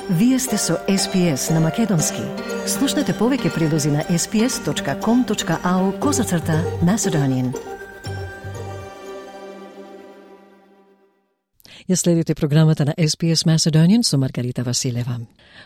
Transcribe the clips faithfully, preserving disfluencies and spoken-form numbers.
Вие сте со Ес Би Ес на Македонски. Слушнете повеќе прилози на ес би ес точка ком точка ау козацрта Macedonian. Ја следите програмата на Ес Би Ес Macedonian со Маргарита Василева.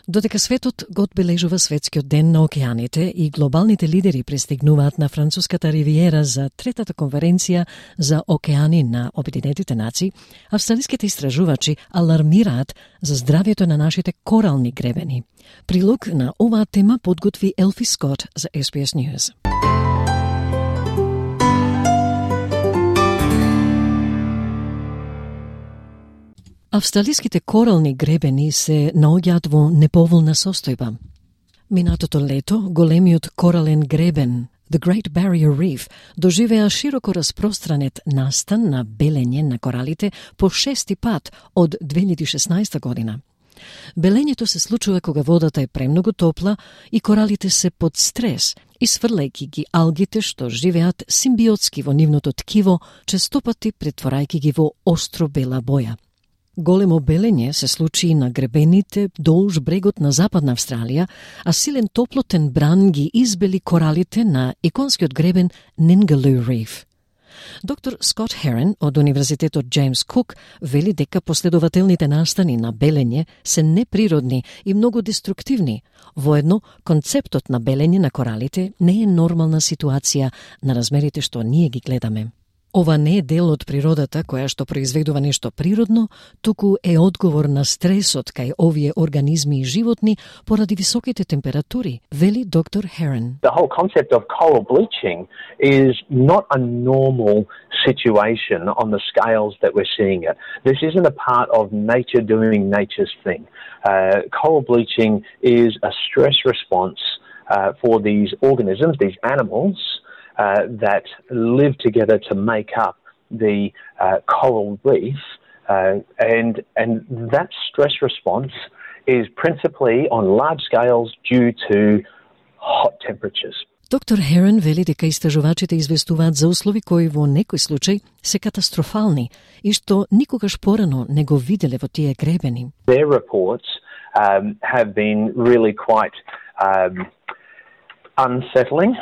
Додека светот го одбележува светскиот ден на океаните и глобалните лидери пристигнуваат на француската ривиера за третата конференција за океани на Обединетите нации, австралиските истражувачи алармираат за здравјето на нашите корални гребени. Прилог на оваа тема подготви Елфи Скот за Ес Би Ес News. Австралиските корални гребени се наоѓаат во неповолна состојба. Минатото лето, големиот корален гребен, The Great Barrier Reef, доживеа широко распространет настан на белење на коралите по шести пат од две илјади и шеснаесета година. Белењето се случува кога водата е премногу топла и коралите се под стрес, исфрлајќи ги алгите што живеат симбиотски во нивното ткиво, честопати претворајќи ги во остро бела боја. Големо белење се случи и на гребените долж брегот на Западна Австралија, а силен топлотен бран ги избели коралите на иконскиот гребен Ningaloo Reef. Доктор Скот Херен од Универзитетот Джеймс Кук вели дека последователните настани на белење се неприродни и многу деструктивни. Воедно, концептот на белење на коралите не е нормална ситуација на размерите што ние ги гледаме. Ова не е дел од природата која што произведува нешто природно, туку е одговор на стресот кај овие организми и животни поради високите температури, вели доктор Херен. The whole concept of coral bleaching is not a normal situation on the scales that we're seeing it. This isn't a part of nature doing nature's thing. Uh, coral bleaching is a stress response uh, for these organisms, these animals, Uh, that live together to make up the uh, coral reef, uh, and and that stress response is principally on large scales due to hot temperatures. Доктор Херен вели дека истражувачите известуваат за услови кои во некој случај се катастрофални и што никогаш порано не го виделе во тие гребени. Their reports um, have been really quite um, unsettling.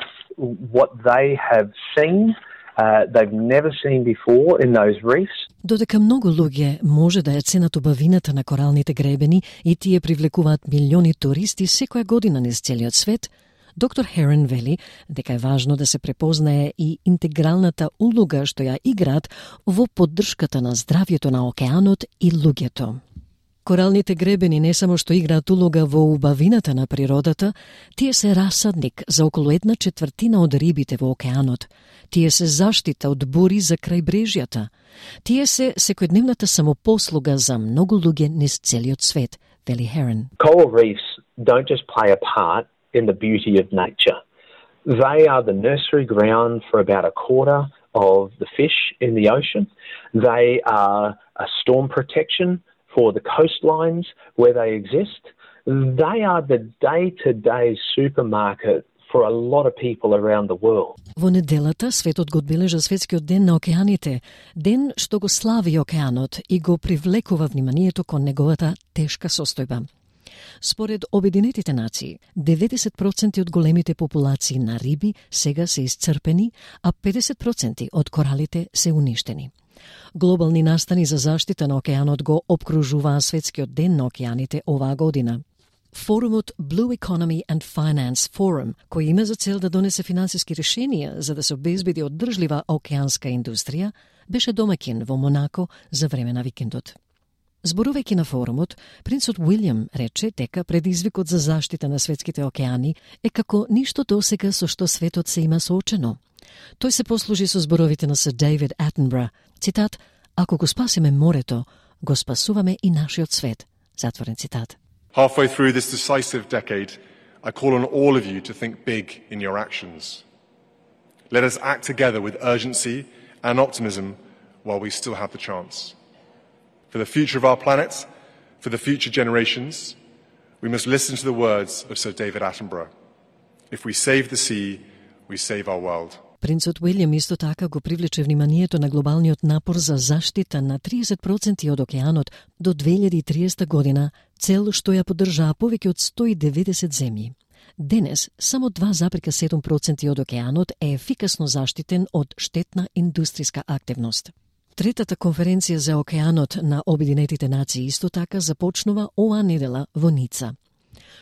What they have seen, uh, they've never seen before in those reefs. Додека многу луѓе може да ја ценат убавината на коралните гребени и тие привлекуваат милиони туристи секоја година низ целиот свет, доктор Херен вели дека е важно да се препознае и интегралната улога што ја играат во поддршката на здравјето на океанот и луѓето. Коралните гребени не само што играат улога во убавината на природата, тие се расадник за околу една четвртина од рибите во океанот. Тие се заштита од бури за крајбрежјата. Тие се секојдневната самопослуга за многу луѓе низ целиот свет, вели Херен. Coral reefs don't just play a part in the beauty of nature. They are the nursery ground for about a quarter of the fish in the ocean. They are a storm protection for the coastlines where they exist. They are the day-to-day supermarket for a lot of people around the world. Во неделата светот го одбележа светскиот ден на океаните, ден што го слави океанот и го привлекува вниманието кон неговата тешка состојба. Според Обединетите нации, деветдесет проценти од големите популации на риби сега се исцрпени, а педесет проценти од коралите се уништени. Глобални настани за заштита на океанот го опкружуваа светскиот ден на океаните оваа година. Форумот Blue Economy and Finance Forum, кој има за цел да донесе финансиски решенија за да се обезбеди одржлива океанска индустрија, беше домаќин во Монако за време на викендот. Зборувајќи на форумот, принцот Уилјам рече дека предизвикот за заштита на светските океани е како ништо досега со што светот се има соочено. Тој се послужи со зборовите на Сир Дейвид Атенбро. Цитат: "Ако го спасиме морето, го спасуваме и нашиот свет." Затворен цитат. Halfway through this decisive decade, I call on all of you to think big in your actions. Let us act together with urgency and optimism while we still have the chance. For the future of our planet, for the future generations, we must listen to the words of Sir David Attenborough. If we save the sea, we save our world. Принцот Уилјам исто така го привлече вниманието на глобалниот напор за заштита на тридесет проценти од океанот до две илјади и триесета година, цел што ја поддржаа повеќе од сто и деветдесет земји. Денес, само два зарез седум проценти од океанот е ефикасно заштитен од штетна индустријска активност. Третата конференција за океанот на Обединетите нации исто така започнува оваа недела во Ница.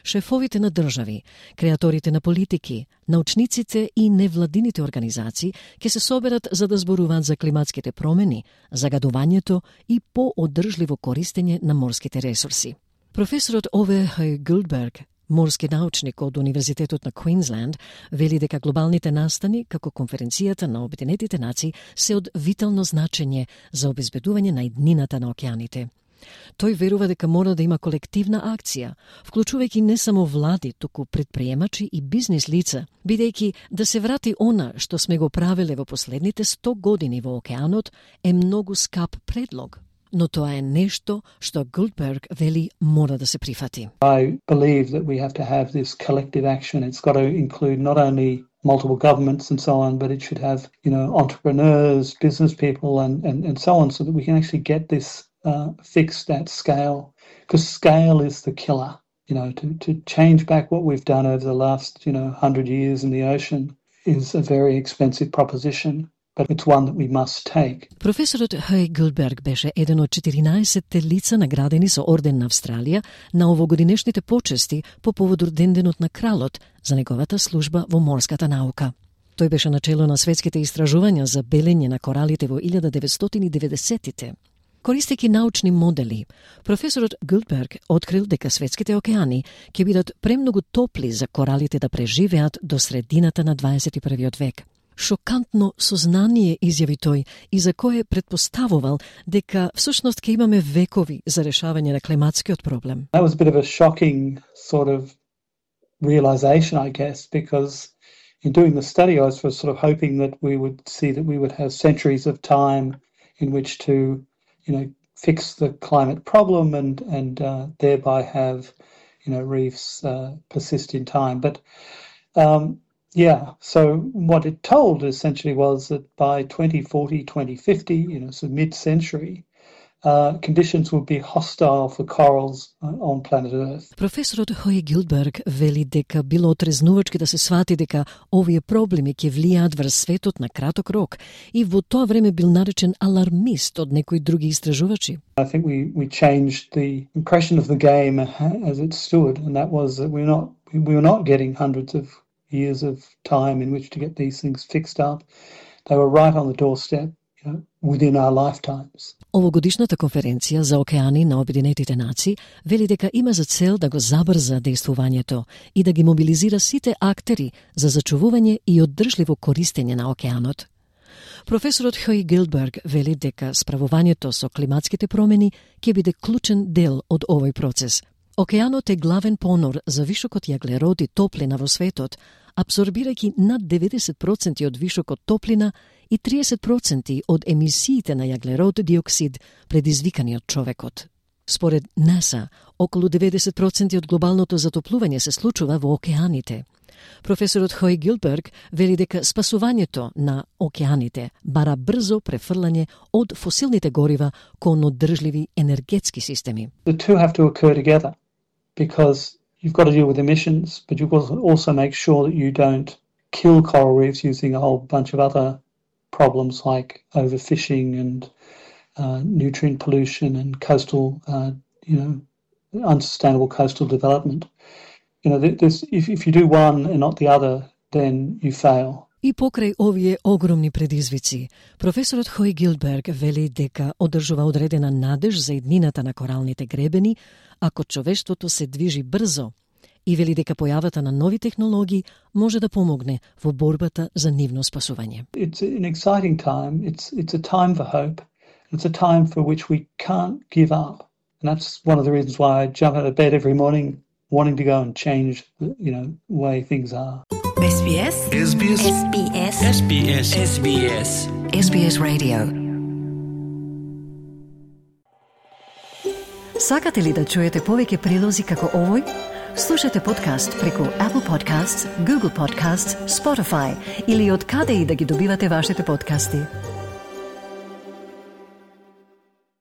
Шефовите на држави, креаторите на политики, научниците и невладините организации ќе се соберат за да зборуваат за климатските промени, загадувањето и по-одржливо користење на морските ресурси. Професорот Ове Гилдберг, морски научник од Универзитетот на Квинсленд, вели дека глобалните настани, како конференцијата на Обединетите нации, се од витално значење за обезбедување на иднината на океаните. Тој верува дека мора да има колективна акција, вклучувајќи не само влади, туку предприемачи и бизнис лица, бидејќи да се врати она што сме го правеле во последните сто години во океанот е многу скап предлог. Но тоа е нешто што Гилдберг вели мора да се прифати. I believe that we have to have this collective action. It's got to include not only multiple governments and so on, but it should have, you know, entrepreneurs, business people and, and, and so on, so that we can actually get this uh, fixed at scale. Because scale is the killer. You know, to, to change back what we've done over the last, you know, hundred years in the ocean is a very expensive proposition. But it's one that we must take. Професорот Хей Гилдберг беше еден од четиринаесетте лица наградени со орден на Австралија на овогодинешните почести по повод Денденот на кралот за неговата служба во морската наука. Тој беше начело на светските истражувања за белење на коралите во илјада деветстотини и деветдесеттите. Користејќи научни модели, професорот Гилдберг открил дека светските океани ќе бидат премногу топли за коралите да преживеат до средината на дваесет и првиот век. Шокантно сознание изјави тој и за кое предпоставувал дека всушност ќе имаме векови за решавање на климатскиот проблем. That was a bit of a shocking sort of realization, I guess, because in doing the study I was sort of hoping that we would see that we would have centuries of time in which to, you know, fix the climate problem and and uh, thereby have, you know, reefs uh, persist in time. But um Yeah, so what it told essentially was that by twenty forty, twenty fifty, you know, so mid-century, uh, conditions would be hostile for corals on planet Earth. Професорот Хој Гилдберг вели дека било отрезнувачки да се свати дека овие проблеми ќе влијаат врз светот на краток рок и во тоа време бил наречен алармист од некои други истражувачи. I think we we changed the impression of the game as it stood, and that was that we're not we were not getting hundreds of years of time in which to get these things fixed up. They were right on the doorstep, you know, within our lifetimes. Овогодишната конференција за океани на Обединетите нации вели дека има за цел да го забрза действувањето и да ги мобилизира сите актери за зачувување и оддржливо користење на океанот. Професорот Хој Гилдберг вели дека справувањето со климатските промени ќе биде клучен дел од овој процес. Океанот е главен понор за вишокот јаглерод и топлина во светот, абсорбирајќи над деветдесет проценти од вишокот топлина и триесет проценти од емисиите на јаглерод диоксид предизвикани од човекот. Според НАСА, околу деветдесет проценти од глобалното затоплување се случува во океаните. Професорот Хој Гилдберг вели дека спасувањето на океаните бара брзо префрлање од фосилните горива кон оддржливи енергетски системи. The two have to occur together because you've got to deal with emissions, but you've got to also make sure that you don't kill coral reefs using a whole bunch of other problems like overfishing and uh, nutrient pollution and coastal, uh, you know, unsustainable coastal development. You know, this, if, if you do one and not the other, then you fail. И покрај овие огромни предизвици, професорот Хој Гилдберг вели дека одржува одредена надеж за иднината на коралните гребени ако човештвото се движи брзо и вели дека појавата на нови технологии може да помогне во борбата за нивно спасување. It's an exciting time. It's it's a time for hope. It's a time for which we can't give up. And that's one of the reasons why I jump out of bed every morning wanting to go and change, you know, the way things are. S B S S B S S B S S B S S B S S B S Radio. Сакате ли да чуете повеќе прилози како овој? Слушате подкаст преку Apple Podcasts, Google Podcasts, Spotify или од каде и да ги добивате вашите подкасти.